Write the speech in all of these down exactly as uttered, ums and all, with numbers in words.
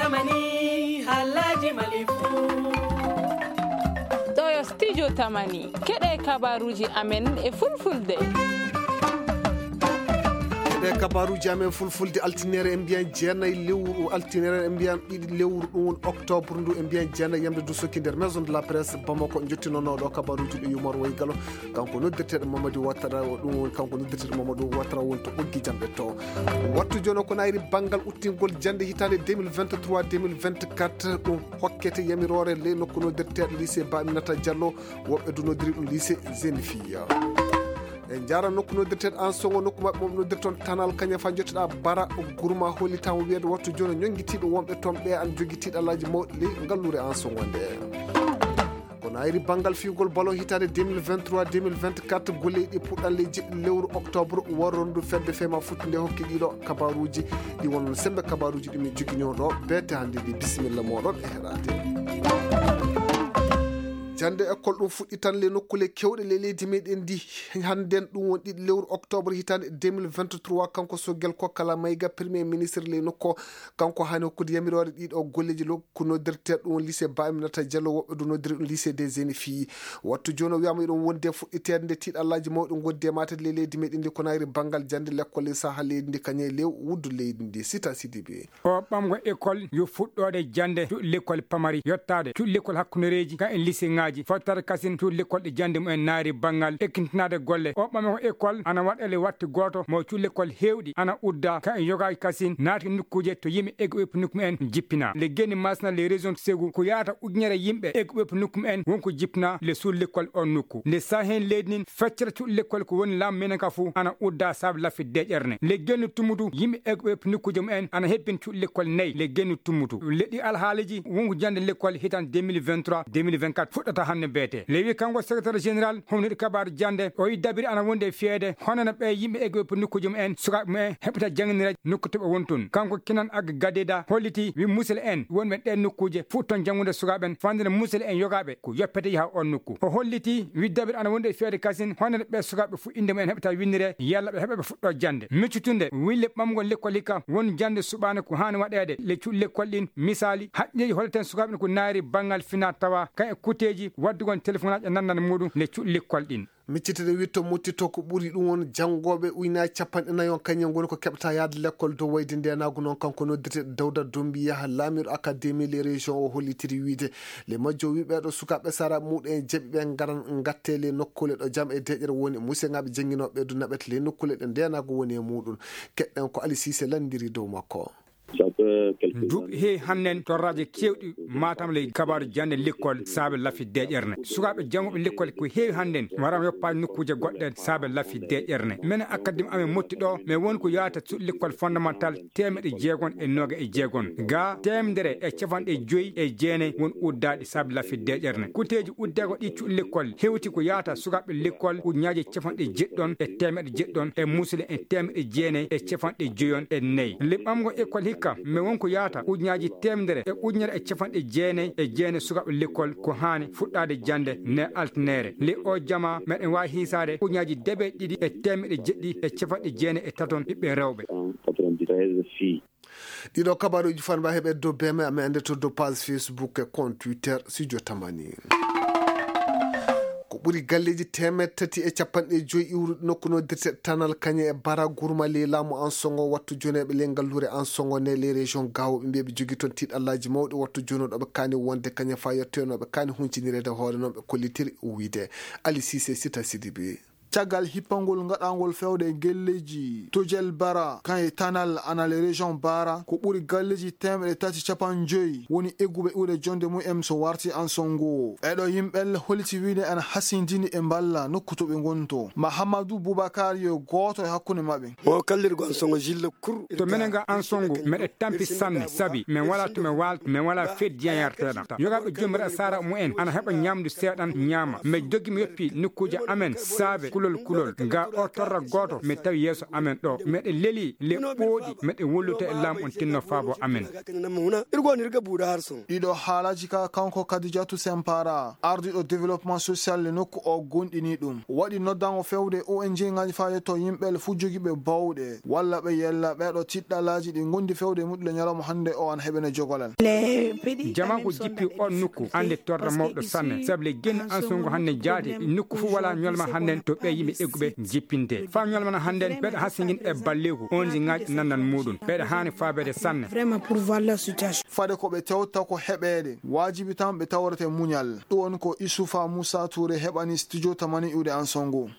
Mani, haalaaji Mali fuu. Ɗo yo studio Tamani. Keɗee kabaaruuji amen e fulfulde. Keɗee kabaaruuji amen fulfulde, altineere en mbiyan jeenayi lewru, altineere en mbiyan ɗiɗi lewru, ɗum woni octobre ndu, en mbiyan jeenayi yamde du sokki nder Maison de la Presse Bamako, njottinonoo ɗo kabaaruuji ɗi Yumar Waygalo. Kanko noddirteeɗo Mamadou Ouattara, o ɗum woni kanko noddirteeɗo Mamadou Ouattara woni to ɓoggi jamɗe to. Wattu jooni ko naayri banngal uttingol jannde hitaande deux mille vingt-trois deux mille vingt-quatre, ɗum hokkete yamiroore ley nokku noddirteeɗo lycée Ba Aminata Diallo, woɓɓe du noddiri ɗum lycée Jeune Fille. En njaara nokku noddirteeɗo Ansongo, nokku maɓɓe mo noddirton Tanal Kaña, faa njottoɗaa Bara Gurma, hollitaama wiyeede wattu jooni ñonngitiiɗo wonɓe toon ɓe ana jogii tiiɗalaaji mawɗi ley ngalluure Ansongo nde. Ko naayri banngal fiyugol ballon hitaande deux mille vingt-trois deux mille vingt-quatre, golleeji ɗi puɗɗan ley jeɗɗi lewru octobre, warrondu fedde fema futti nde hokki ɗiɗo kabaaruuji, ɗi wonno sembe kabaaruuji ɗi min joginoo ɗo, beete hannde ndi, bisimilla mooɗon e heɗaade. Jannde école ɗum fuɗɗitan ley nokkuule keewɗe ley leydi meɗen ndi, hannden ɗum woni ɗiɗi lewru octobre hitaande deux mille vingt-trois, kanko Sogel Kokala Mayga, premier ministre ley nokku, kanko haani hokkude yamiroore ɗiɗo golleeji lo-, ko noddirtee ɗum lycée Ba Aminata Diallo, woɓɓe du noddiri ɗum lycée des jeunes filles. Wattu jooni o wiyaama iɗum wondi e fuɗɗiteede nde tiiɗallaaji mawɗi ngondi e maatade ley leydi meɗen ndi ko naayri banngal jannde lekkol e saha leydi ndi kañe e lew wuddu leydi ndi. Sita Sidibe. O ɓamgo école yo fuɗɗoode jannde cuuɗi lekkol pamari yottaade cuuɗi lekkol hakkundereeji ka e liseŋaaji fottaade kasin cuuɗi lekkol ɗi jannde mumen naayri banngal ekkintinaade golle. O ɓamgo école ana waɗa le watti gooto mo cuuɗi lekkol heewɗi ana udda ka e yogaaji kasin naati nokkuuje to yimɓe eggu ɓe nokku mumen jippinaa. Le geni masna les régions segu ko yaata ujunere yimɓe eggu ɓe nokku mumen wonko jippinaa le suul lekkol on nokku. Le sahen leydi nin feccere cuuɗi lekkol ko woni laamu menen ka fuu ana udda saabe laffi deeƴere ne. Le gennu tummutu yimɓe eggu ɓe nokkuuje mumen ana hebbin cuuɗi lekkol nayi le gennu tummutu. Leɗɗi alhaaliiji wonko jannde lekkol hitan deux mille vingt-trois deux mille vingt-quatre fuɗɗata hannde beete. Le wi kanko secrétaire général homnude kabaaru jannde o yi dabiri ana wondi e fiyeede hono no ɓe yimɓe eggu ɓe nokkuuje mumen sukaaɓe mumen heɓata jannginira nokku to ɓe woni tun. Kanko Kinan Ag Gadeda holliti wi musel en wonɓe ɗeen nokkuuje fuɗɗon janngude sukaaɓe en fandina musel en yogaaɓe ko yoppete yaha on nokku. O holliti wi dabiri ana wondi e fiyeede kasin hono no ɓe sukaaɓe fu innde mumen heɓata winnire yalla ɓe heɓa ɓe fuɗɗo jannde. Miccutunde wille ɓamgol lekkol hikka won jannde suɓaane ko haani waɗeede le cuuɗi lekkol ɗin. Misaali haqqilleeji holleten sukaaɓe en ko naayri banngal fina tawa kan e kuteeji waddugol telefonaaji e nannande muɗum le cuuɗi lekkol ɗin. Miccitde witto muttitto ko ɓuri ɗum won janngooɓe ujunaaji capanɗe nayi on kañum ngoni ko keɓta yahde lekkol dow wayde ndeenaagu noon kanko noddirteeɗo Dawda Dombi Yaha laamiiɗo akademi les régions o hollitiri wiide le majjo wi ɓeeɗo sukaaɓe sara muɗum en jaɓi ɓe ngaran ngatte le nokkuule ɗo jam e deeƴere woni museŋaaɓe jannginooɓe ɓe du naɓete le nokkuule ɗe ndeenaagu woni e muɗum. Keɗɗen ko Ali Siise lanndiri dow makko. Ndu heewi hannden torraaji keewɗi matam ley kabaaru jannde lekkol saabe laffi deeƴere ne. Sukaaɓe janngooɓe lekkol ko heewi hannden waraama yoppaade nokkuuje goɗɗe saabe laffi deeƴere ne. Menen akademi amen motti ɗo, men woni ko yaata cuuɗi lekkol fondamental teemeɗɗe jeegon e nooga e jeegon. Ga teemedere e capanɗe joyi e jeenayi won uddaaɗi saabe laffi deeƴere ne. Kuteeji uddeego ɗi cuuɗi lekkol hewti ko yaata sukaaɓe lekkol ujunaaji capanɗe jeɗɗon e teemeɗɗe jeɗɗon e muusle e teemeɗɗe jeenayi e capanɗe joyon e nayi. Leɓɓamgo ekkol hikka, men won ko yaata ujunaaji teemedere e ujunere e capanɗe jeenayi e jeenayi sukaaɓe lekkol ko haani fuɗɗaade jannde ne altineere. Ley oo jamaa, meɗen waawi hiisaade ujunaaji deeɓe ɗiɗi e teemeɗɗe jeɗɗi e capanɗe jeenayi e taton ɓiɓɓe rewɓe. Ɗiɗo kabaaruuji fanba heɓe dow B M, amin annde to dow page Facebook e compte Twitter Studio Tamani. Ko ɓuri galleeji teemeɗɗe tati e capanɗe joyi iwruɗi nokku noddirteeɗo Tanal Kañe e Bara Gurma ley laamu Ansongo, wattu joneeɓe ley ngalluure Ansongo nde ley région Gao, ɓe mbiya ɓe jogii toon tiiɗallaaji mawɗi, wattu jooni ɗo ɓe kaani wonde kañe faa yettoyno ɓe kaani huncinireede hoore noon ɓe kollitiri wiyde. Ali Siise Sita Sidibe. Caggal hippangol ngaɗaangol fewde e galleeji Tojel Bara, kan e Tanal ana le région Bara, ko ɓuri galleeji teemeɗɗe tati capanɗe joyi woni egguɓe iwde jonnde mum en so warti Ansongo. Ɓeeɗo yimɓe holliti wiide ana hasindini e mballa nokku to ɓe ngonto. Mahamadou Boubacar yo gooto e hakkunde maɓɓe. O kallirgo Ansongo Gilles Kour. To menen ga Ansongo, meɗe tampi sanne, sabi men walaa to men waalta, men walaa feddi yayarteeɗam. Yogaaɓe jomiraɗo saara mumen ana heɓa ñaamdu seeɗan ñaama. Men doggi men yoppi nokkuuje amen saabe kulol kulol. Nga oo torra gooto mi tawi yeeso amen ɗoo. Meɗe lelii le ɓooɗi, meɗe wolluta e laamu on tinno faabo amen. Ɗiɗo haalaaji ka kanko Kadijatu Sempara, ardiiɗo développement social le nokku o gonɗini ɗum. Waɗi noddango fewde O N G ŋaaji faa yetto yimɓe le fuu jogiiɓe bawɗe, walla ɓe yella ɓeeɗo tiɗɗalaaji ɗi ngondi fewde e muɗɗule ñalawma hannde o ana heɓene jogolal. Jamaa ko jippi on nokku annde torra mawɗo sanne, sabu le genni ansungo hannde jaati nokku fuu walaa ñolma hannden to ɓee yimɓe egguɓe jippinte. Faa ñolma na hannden ɓeɗa hasingin e balleeku, on si ŋaaji nannan muuɗum. Ɓeɗa haani faabeede sanne. Vraiment pour voir la situation. Fade ko ɓe tewta ko heɓeede, waajibi tan ɓe tawrete muñal. Ɗum woni ko Isufa Musa Ture heɓani studio tamani iwde Anso ngu.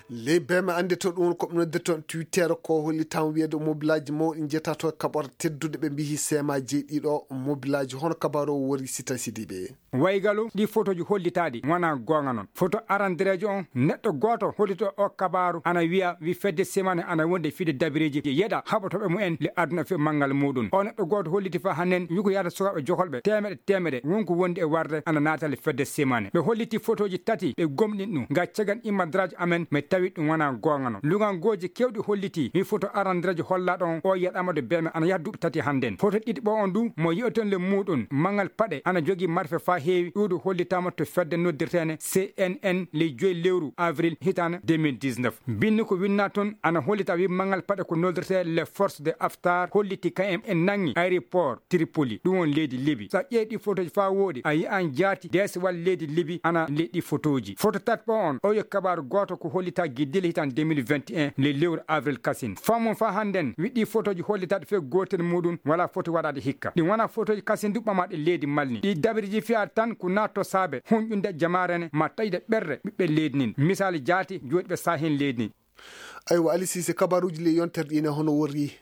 Ley beeme annde to ɗum woni ko ɓe noddirta toon Twitter, ko holli tan wiyeede mobilaaji mawɗi njetaa to kaɓorɗe tedduɗe, ɓe mbiyi seema jeeɗiɗo mobilaaji. Hono kabaaru o wori Sita Sidiɓe. Waygalu ɗi fotooji hollitaaɗi wonaa goonga noon. Foto arandereejo on, neɗɗo gooto hollito o kabaaru ana wiya wi fedde semaane ana wonde fide dabireeji yeɗa haɓotooɓe mumen le aduna fii manngal muuɗum. O neɗɗo gooto holliti faa hannden yugo yaata sukaaɓe jokolɓe teemeɗe teemeɗe wonko wondi e warde ana naata le fedde semaane. Ɓe holliti fotooji tati ɓe gomɗin ɗum. Nga cagan immadraaji amen mi tawi ɗum wonaa goonga noon. Lugangooji keewɗi holliti wi foto arandereejo hollaaɗo on o yeɗaama de beeme ana yaha duuɓi tati hannden. Foto ɗiɗi ɓo on du mo yi'oton le muuɗum manngal paɗe ana jogii marfe faa heewi. Ɗuuɗu hollitaama to fedde noddirteene C N N ley joyi lewru avril hitaande deux mille dix-neuf. Binndi ko winnaa toon ana hollita wi manngal paɗe ko noddirtee les forces de Haftar holliti kañum en nanngi aéroport Tripoli, ɗum woni leydi Libi. So a ƴeewi ɗi fotooji faa wooɗi, a yi'an jaati deesewal leydi Libi ana ley ɗi fotooji. Foto tati ɓo on, o yo kabaaru gooto ko hollita giddile hitaande deux mille vingt et un ley lewru avril kasin. Faamu faa hannden wi ɗi fotooji hollitaaɗi fee gootel muuɗum walaa foti waɗaade hikka. Ɗi wonaa fotooji kasin du ɓamaaɗi leydi Mali. Ɗi dabiriji fiyaade tan ko naatto saabe hunƴunde jamaare ne maa taƴde ɓerɗe ɓiɓɓe leydi ndin. Misaali jaati jooɗiiɓe saahen leydi ndin. Aywa, Ali Siise, kabaruuji ley yontere ɗi ne hono worri?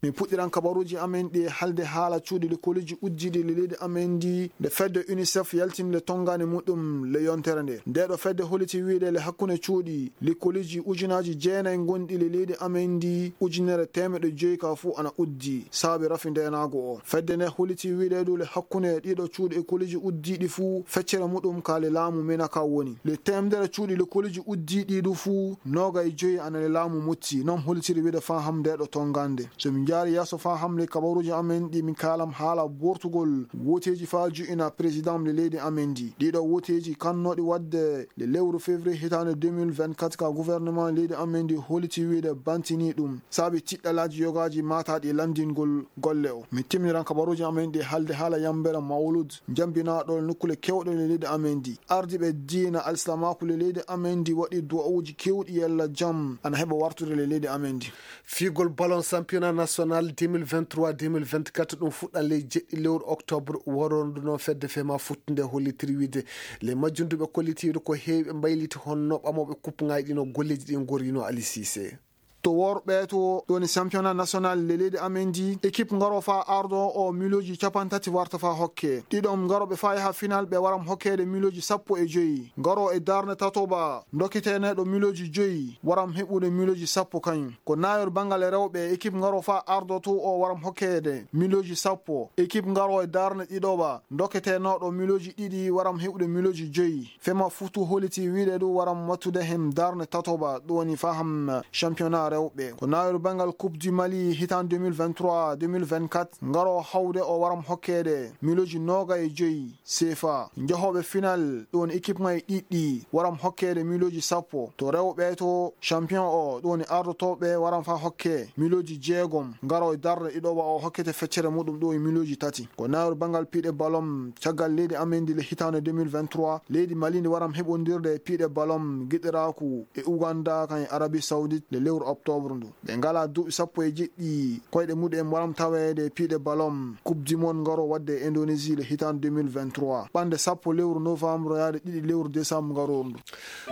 Min puɗɗiran kabaruuji amen ɗi e haalde haala cuuɗi likoliiji uddiiɗi le leydi amen ndi, nde fedde UNICEF yaltini le tonngaande muɗum le yontere nde. Ndee ɗoo fedde holliti wiide le hakkunde cuuɗi likoliiji ujunaaji jeenayi ngonɗi le leydi amen ndi, ujunere teemeɗɗe joyi ka fuu ana uddi saabi rafi ndeenaagu o. Fedde nde holliti wiide du le hakkunde ɗii ɗoo cuuɗi e likoliiji uddiiɗi fuu feccere muɗum ka le laamu mena ka woni. Le teemedere cuuɗi likoliiji uddiiɗi du fuu noogay joyi ana le laamu Motti, non hollitiri wiide faa ham ndee ɗoo tonngaande. So min njaari yeeso faa ham le kabaruuji amen ɗi, min kaalam haala bortugol wooteeji faa jo'ina président le leydi amen ndi. Ɗii ɗoo wooteeji kannooɗi waɗde le lewru février hitaande deux mille vingt-quatre ka gouvernement leydi amen ndi holliti wiide bantinii ɗum saabi tiɗɗalaaji yogaaji maataaɗi lanndingol golle o. Min timminiran kabaruuji amen ɗi haalde haala yambere Mawlud, njambinaaɗo nokkule keewɗe le leydi amen ndi. Ardiiɓe diina alsilaamaaku le leydi amen ndi waɗi du'awuuji keewɗi yalla jam ana heɓa wartude le leydi amen ndi. Fiigol ballon championnat national deux mille vingt-trois deux mille vingt-quatre ɗum fuɗɗan ley jeɗɗi lewru octobre waroondu noon fedde fema futtunde hollitiri wiide le majjunduɓe kollitiiɗo ko heewi ɓe mbayliti honno ɓamooɓe kuppuŋaaji ɗi no golleeji ɗi ngorrino Ali Siise. To worɓe to ɗoni championnat national le leydi amen ndi, équipe ngaro faa ardo o miliyonji capantati warta faa hokke. Ɗiɗon ngarooɓe faa yaha final ɓe waram hokkeede miliyonji sappo e joyi. Ngaro e darnde tatoɓa, ndokketeeneeɗo miliyonji joyi, waram heɓude miliyonji sappo kañum. Ko naayol banngal rewɓe, équipe ngaro faa ardo to o waram hokkeede miliyonji sappo. Équipe ngaro e darnde ɗiɗoɓa, ndokketeenooɗo miliyonji ɗiɗi, waram heɓude miliyonji joyi. Fema futu holiti wiide du waram wattude hen darnde tatoɓa, ɗum woni faham championnat rewɓe. Ko naayol banngal Coupe du Mali hitaan deux mille vingt-trois deux mille vingt-quatre, ngaro hawde o waram hokkeede miliyonji noogay e joyi. Seefa. Njahooɓe final, ɗum woni équipe ŋaaji ɗiɗi, waram hokkeede miliyonji sappo. To rewɓe to, champion o, ɗum woni ardotooɓe, waram faa hokke miliyonji jeegom. Ngaro e darnde ɗiɗoɓa o hokkete feccere muɗum, ɗum woni miliyonji tati. Ko naayol banngal piiɗe ballon, caggal leydi amen ndi le hitaande deux mille vingt-trois, leydi Mali ndi waram heɓondirde e piiɗe ballon giɗiraaku e Uganda kan e Arabie Saoudite le lewru octobre ndu. Ɓe ngalaa duuɓi sappo e jeɗɗi, koyɗe muɗum en waram taweede e piiɗe ballon Coupe du Monde ngaro waɗde e Indonésie le hitaande deux mille vingt-trois. Ɓannde sappo lewru novembre yaade ɗiɗi lewru décembre ngarooru ndu.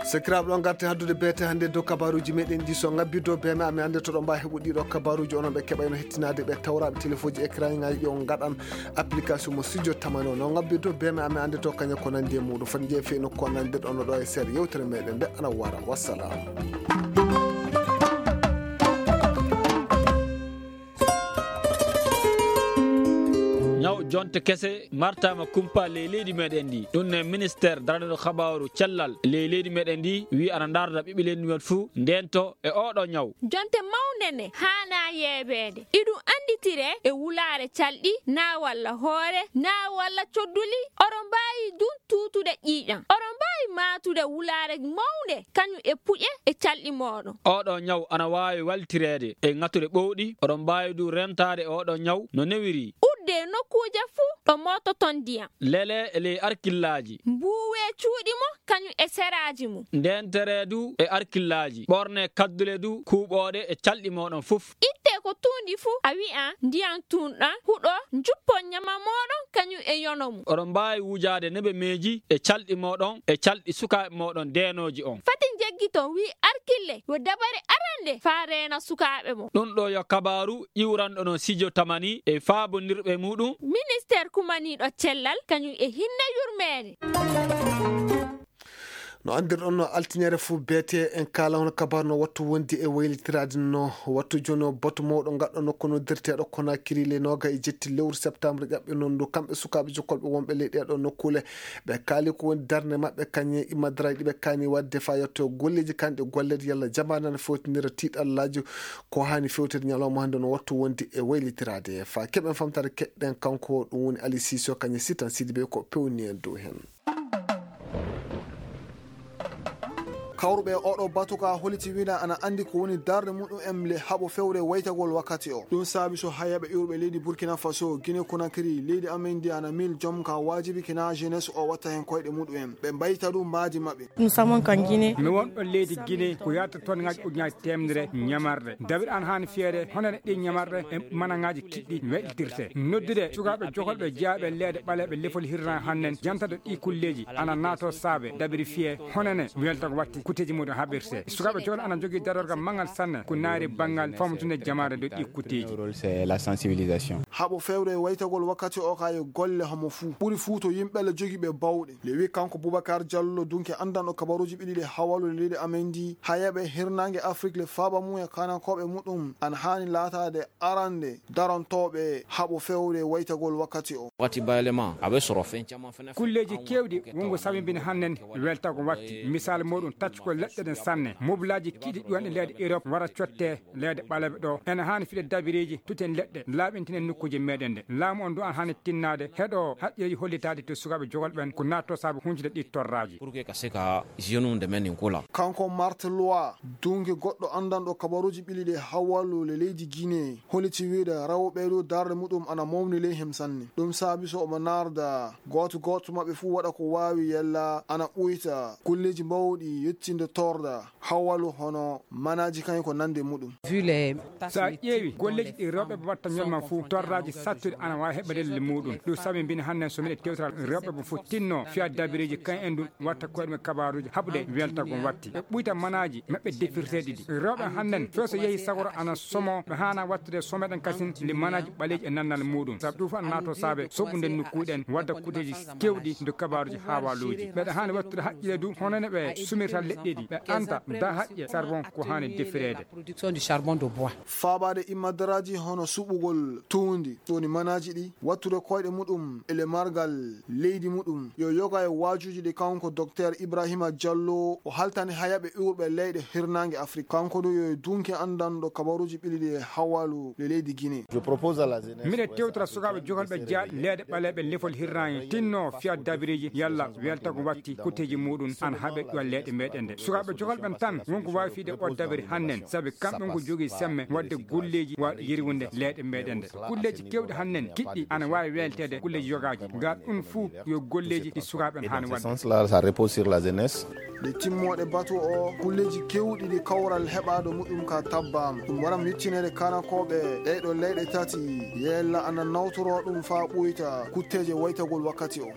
Sakiraaɓe, ɗo ngarten haddude beete hannde dow kabaruuji meɗen ɗi. So ngabbii dow beeme amen annde to ɗo mbaa heɓu ɗii ɗoo kabaruuji, onon ɓe keɓayno hettinaade ɓe tawraaɓe telefooji écran ŋaaji ɗi, on ngaɗan application mo studio tamani o. No ngabbii dow beeme amen annde to kañum ko nanndi e muɗum. Foti njeeya fii nokku ko nanndi ɗo, no ɗo e seeɗa yewtere meɗen nde ana wara. Wassalam. Ñaw Jonte kese martaama kumpa ley leydi meɗen ndi. Ɗum ne ministeer daraniiɗo kabaaru cellal ley leydi meɗen ndi wiyi ana ndaarda ɓiɓɓe leydi men fuu ndeento e ooɗoo ñaw. Jonte mawnde ne haanaa yeebeede. Iɗum annditiree e wulaare calɗi, naa walla hoore, naa walla codduli. Oɗon mbaawi ɗum tuutude ƴiiƴam. Oɗon mbaawi maatude wulaare mawnde, kañum e puƴe e calɗi mooɗon. Ooɗoo ñaw ana waawi waltireede e ŋatuɗe ɓowɗi. Oɗon mbaawi ɗum rentaade e ooɗoo ñaw no newiri. Udde nokkuuje fuu ɗo moototon ndiyam. Lelee e ley arkillaaji. Mbuuwee cuuɗi mon, kañum e seraaji mum. Ndeenteree du e arkillaaji. Ɓoornee kaddule du kuuɓooɗe e calɗi mooɗon fof. Ittee ko tuundi fuu, a wi'an ndiyam tuunɗam huɗo, njuppon ñama mooɗon kañum e yono mum. Oɗon mbaawi wujaade nebemeeji e calɗi mooɗon e calɗi sukaaɓe mooɗon deenooji on. Fati njeggiton, wi'i Arkille, yo dabare arannde faa reena sukaaɓe mon. Ɗum ɗoo yo kabaaru iwranɗo no Sijo Tamani e faabondirɓe muuɗum. Ministeer kumaniiɗo cellal kañum e hinnee yurmeende. No anndirɗon no altiniere fuu beetee en kaala hono kabaaru no wattu wondi e waylitiraade no wattu jooni o batu mawɗo ngaɗɗo nokku noddirteeɗo Konakiri le nooga e jetti lewru septembre ƴaɓɓe noon ndu kamɓe sukaaɓe jokkolɓe wonɓe ley ɗeeɗo nokkuule ɓe kaali ko woni darnde maɓɓe kañe imadaraaji ɗi ɓe kaani waɗde faa yetto golleeji kanɗe golleede yalla jamaane ana fewtinira tiiɗallaaji ko haani fewtede ñalawma hannde no wattu wondi e waylitiraade faa keɓen famtaade keɗɗen kanko ɗum woni Ali Siiso kañe sitan Sidibe ko pewni en dow heen. Kawruɓe e oɗo batu ka holiti wina ana anndi ko woni darde muɗum en le haɓo fewre waytagol wakkati o. Ɗum saabi so hayaɓe iwruɓe leydi Burkina Faso, Guinée Conakry, leydi amen ndi ana mil jom ka waajibi kina jeunesse o watta hen koyɗe muɗum en. Ɓe mbayta ɗum mbaadi maɓɓe. Nous sommes en Guinée. Mi won ɗo leydi Guinée ko yaata toon ngaji ujunaji temedere ñamarɗe. Dawir an haani fiyeede honene ɗi ñamarɗe e manangaaji kiɗɗi weɗitirte. Noddude sukaaɓe jokolɓe jeyaaɓe leeɗe ɓaleeɓe lefol hirna hannen jantata ɗi kulleeji ana naato saabe dabiri fiye honene welta ko watti kutteeji muɗum haɓirte. Sukaaɓe jokolɓe ana jogii darorgal manngal sanne ko naari banngal famatunde jamaare dow ɗi kutteeji. Rôle, c'est la sensibilisation. Haɓo fewre e waytagol wakkati o ka yo golle homo fuu. Ɓuri fuu to yimɓe le jogiiɓe bawɗe. Le wi kanko Boubacar Diallo dunke anndanɗo kabaruuji ɓiɗi ɗi hawalule leydi amen ndi. Hayaɓe hirnaange Afrik le faaba mum e kanankooɓe muɗum ana haani laataade arande darantooɓe haɓo fewre waytagol wakkati o. Wati bayalema, a bɛ sɔrɔ fɛn caman fana fɛ. Kulleeji keewɗi wongo sabimbini hannen weltago watti. Misaal muɗum taccugol leɗɗe ɗen sanne. Mobilaaji kiiɗi ƴuwanɗe leyɗe Europe wara cottee leyɗe ɓaleeɓe ɗo. Ene haani fiɗe dabireeji, tuten leɗɗe, laaɓintinen nokkuuje meɗen ɗe. Laamu on du ana haani tinnaade, heɗoo haqqilleeji hollitaaɗi to sukaaɓe jogol ɓen ko naatto saabe huncude ɗi torraaji. Pour que ka se ka jeune ɗumen nin ko la. Kanko Marthe Loire, dunke goɗɗo anndanɗo kabaruuji ɓili ɗi hawalule leydi Guinée, holliti wiide rewɓe ɗo darnde muɗum ana mawni ley hem sanne. Ɗum saabi so omo naarda gooto gooto maɓɓe fuu waɗa ko waawi yalla ana ɓuyta kulleeji mawɗi yettinde torra. Hawalu hono manaaji kañum ko nande muɗum. Vu les tâches. So a ƴeewi golleeji ɗi rewɓe ɓe watta ñolma fuu, torraaji sattuɗi ana waawi heɓɓe lelle muɗum. Ɗum sabi mbin hannen so miɗen tewtira rewɓe ɓe fof tinno fiya dabireeji kañum en ɗum watta koye ɗum kabaaruuji haɓude weltagol watti. Ɓe ɓuyta manaaji maɓɓe defirteeɗi ɗi. Rewɓe hannen few so yehi sagoro ana somo ɓe haana wattude someɗen kasin ndi manaaji ɓaleeji e nannal muɗum. Sabu ɗum fof ana naato saabe soɓude nokkuuɗen wadda kuuteeji kewɗi ndo kabaaruuji haawaaluuji. Ɓeɗa haani wattude haqqille du hono no ɓe sumirta leɗɗe ɗi, ɓe anta da haqqe charbon ko haani defireede. Production du charbon de bois. Faabaade imadaraaji hono suɓugol tuundi, ɗoni manaaji ɗi, wattude koyɗe muɗum e le margal leydi muɗum. Yo yoga e waajuuji ɗi kanko Docteur Ibrahima Diallo o haltani hayaɓe iwruɓe leyɗe hirnaange Afrik. Kanko du yo dunke anndanɗo kabaruuji ɓili ɗi e hawalu le leydi Guinée. Je propose à la jeunesse. Miɗen tewtora sukaaɓe jogolɓe jaaɗi leeɗe ɓaleeɓe lefol hirnaange tinno fiya dabireeji yalla weltago watti kutteeji muɗum ana haɓe ɗo leyɗe meɗen ɗe. Sukaaɓe jogolɓe tan wonko waawi fiyde o dabiri hannen, sabi kamɓe wonko jogii semme waɗde golleeji waawɗi yirwinde leyɗe meɗen ɗe. Golleeji kewɗi hannen kiɗɗi ana waawi welteede golleeji yogaaji. Ngal ɗum fuu yo golleeji ɗi sukaaɓe en haani waɗde. Dans ce sens-là, ça repose sur la jeunesse. Nde timmooɗe batu o, kulleeji kewɗi ɗi kawral heɓaado muɗum ka tabbaama. Ɗum waran yettineede kanankooɓe ɗee ɗoo leyɗe tati, yella ana nawtoroo ɗum faa ɓuyta kutteeje waytagol wakkati o.